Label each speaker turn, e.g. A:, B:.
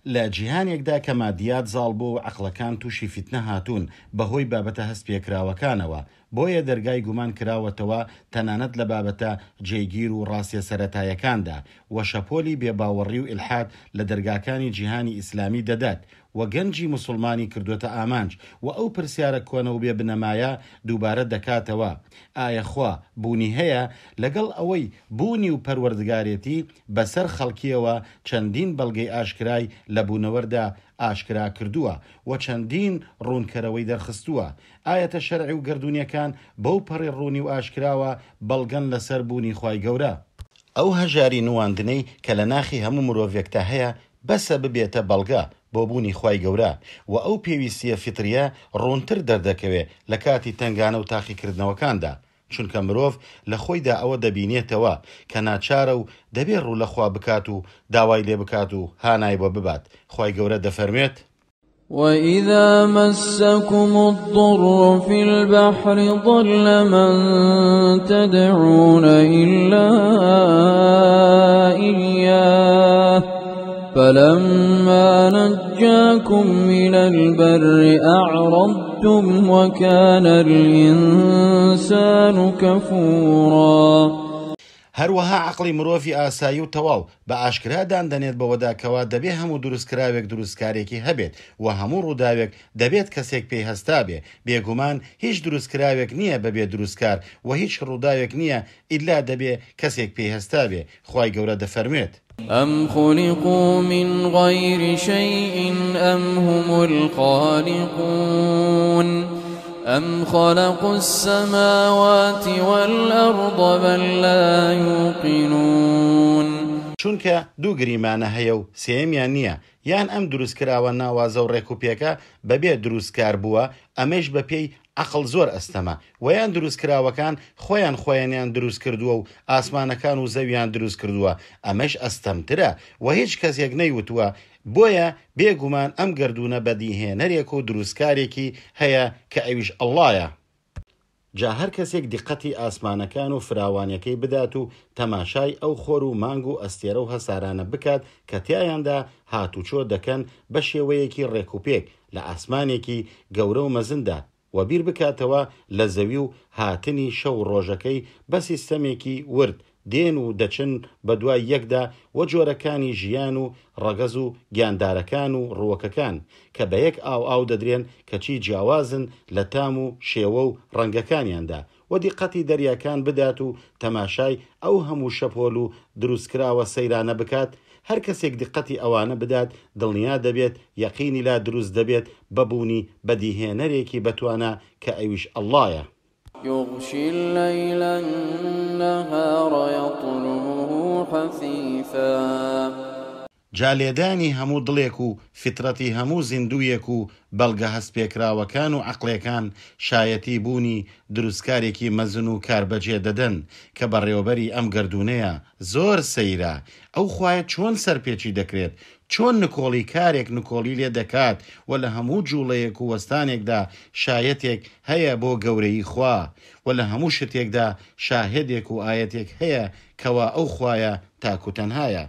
A: لە جیهانێکدا کە مادیات زاڵ بووە و عەقڵەکان تووشی فیتنە هاتوون بەهۆی بابەتە هەستپێکراوەکانەوە، بۆیە دەرگای گومان کراوەتەوە تەنانەت لە بابەتە جێگیر و ڕاستیە سەرەتایەکاندا، وە شەپۆلی بێباوەڕی و ئیلحاد لە دەرگاکانی جیهانی ئیسلامی دەدات و گەنجی موسوڵمانی کردۆتە ئامانج و ئەو پرسیارە کۆنە و بێ بنەمایە دووبارە دەکاتەوە ئایا خوا بوونی هەیە؟ لەگەڵ ئەوەی بوونی و پەروەردگارێتی بەسەر خەڵکیەوە چەندین بەڵگەی ئاشکرای لە بوونەوەردا ئاشکرا کردووە و چەندین ڕوونکەرەوەی دەرخستووە ئایەتە شەرعی و گەردوونیەکان بەو پەڕی ڕوونی و ئاشکراوە بەڵگەن لەسەر بوونی خوای گەورە. ئەو هەژاری نواندنەی کە لە ناخی هەموو مرۆڤێکدا هەیە بەسە ببێتە بەڵگە بۆ بوونی خوای گەورە، وە ئەو پێویستیە فیتریە ڕوونتر دەردەکەوێ لە کاتی تەنگانە و تاقیکردنەوەکاندا، چونکە مرۆڤ لە خۆیدا ئەوە دەبینێتەوە کە ناچارە و دەبێ ڕوو لە خوا بکات و داوای لێ بکات و هانای بۆ ببات، خوای گەورە دەفەرموێت.
B: وإذا مسكم الضر في البحر ضل من تدعون إلا إياه فلما نجاكم من البر أعرضتم وكان الإنسان كفورا.
A: هەروەها عەقڵی مرۆڤی ئاسایی و تەواو بە ئاشکرا دان دەنێت بەوەدا کەوا دەبێ هەموو دروستکراوێک دروستکارێکی هەبێت و هەموو ڕووداوێک دەبێت کەسێک پێی هەستابێ، بێگومان هیچ دروستکراوێک نییە بەبێ دروستکار و هیچ ڕووداوێک نییە ئیلا دەبێ کەسێک پێی هەستابێ، خوای گەورە دەفەرموێت. ئەم
B: خلقوا من غیر شیء ئەم هم الخالقون ئەم خلقوا السماوات والأرض بل لا یوقنون.
A: چونکە دوو گریمانە هەیە و سێیەمیان نییە، یان ئەم دروستکراوە ناوازە و ڕێکوپێکە بەبێ دروستکار بووە، ئەمەیش بەپێی عەقڵ زۆر ئەستەمە، وە یان دروستکراوەکان خۆیان خۆیانیان دروست کردووە و ئاسمانەکان و زەویان دروست کردووە، ئەمەیش ئەستەمترە و هیچ کەسێک نەیوتووە، بۆیە بێ گومان ئەم گەردوونە بەدیهێنەرێک و دروستکارێکی هەیە کە ئەویش اللە یە. جا هەر کەسێک دیقەتی ئاسمانەکان و فراوانیەکەی بدات و تەماشای ئەو خۆر و مانگ و ئەستێرە و هەسارانە بکات کە تیایاندا هاتوچۆ دەکەن بە شێوەیەکی ڕێکوپێک لە ئاسمانێکی گەورە و مەزندا وە بیر بکاتەوە لە زەوی و هاتنی شەو و ڕۆژەکەی بە سیستەمێکی ورد دێن و دەچن بە دوای یەکدا وە جۆرەکانی ژیان و ڕەگەز و گیاندارەکان و ڕووەکەکان کە بە یەک ئاو ئاو دەدرێن کەچی جیاوازن لە تام و شێوە و ڕەنگەکانیاندا وە دیقەتی دەریاکان بدات و تەماشای ئەو هەموو شەپۆل و دروستکراوە سەیرانە بکات هەر کەسێک دیقەتی ئەوانە بدات دڵنیا دەبێت یەقینی لا دروست دەبێت بە بوونی بەدیهێنەرێکی بەتوانا کە ئەویش اللە یە.
B: یغشی اللیل النهار یطلبه حثیثا.
A: جا لێدانی هەموو دڵێک و فیترەتی هەموو زیندوویەک و بەڵگە هەستپێکراوەکان و عەقڵێکان شایەتی بوونی دروستکارێکی مەزن و کاربەجێ دەدەن کە بەڕێوەبەری ئەم گەردوونەیە، زۆر سەیرە ئەو خوایە چۆن سەرپێچی دەکرێت، چۆن نکۆڵی کارێک نکۆڵی لێ دەکات و لە هەموو جوڵەیەک و وەستانێکدا شایەتێک هەیە بۆ گەورەیی خوا و لە هەموو شتێکدا شاهێدێک و ئایەتێک هەیە کەوا ئەو خوایە تاک و تەنهایە.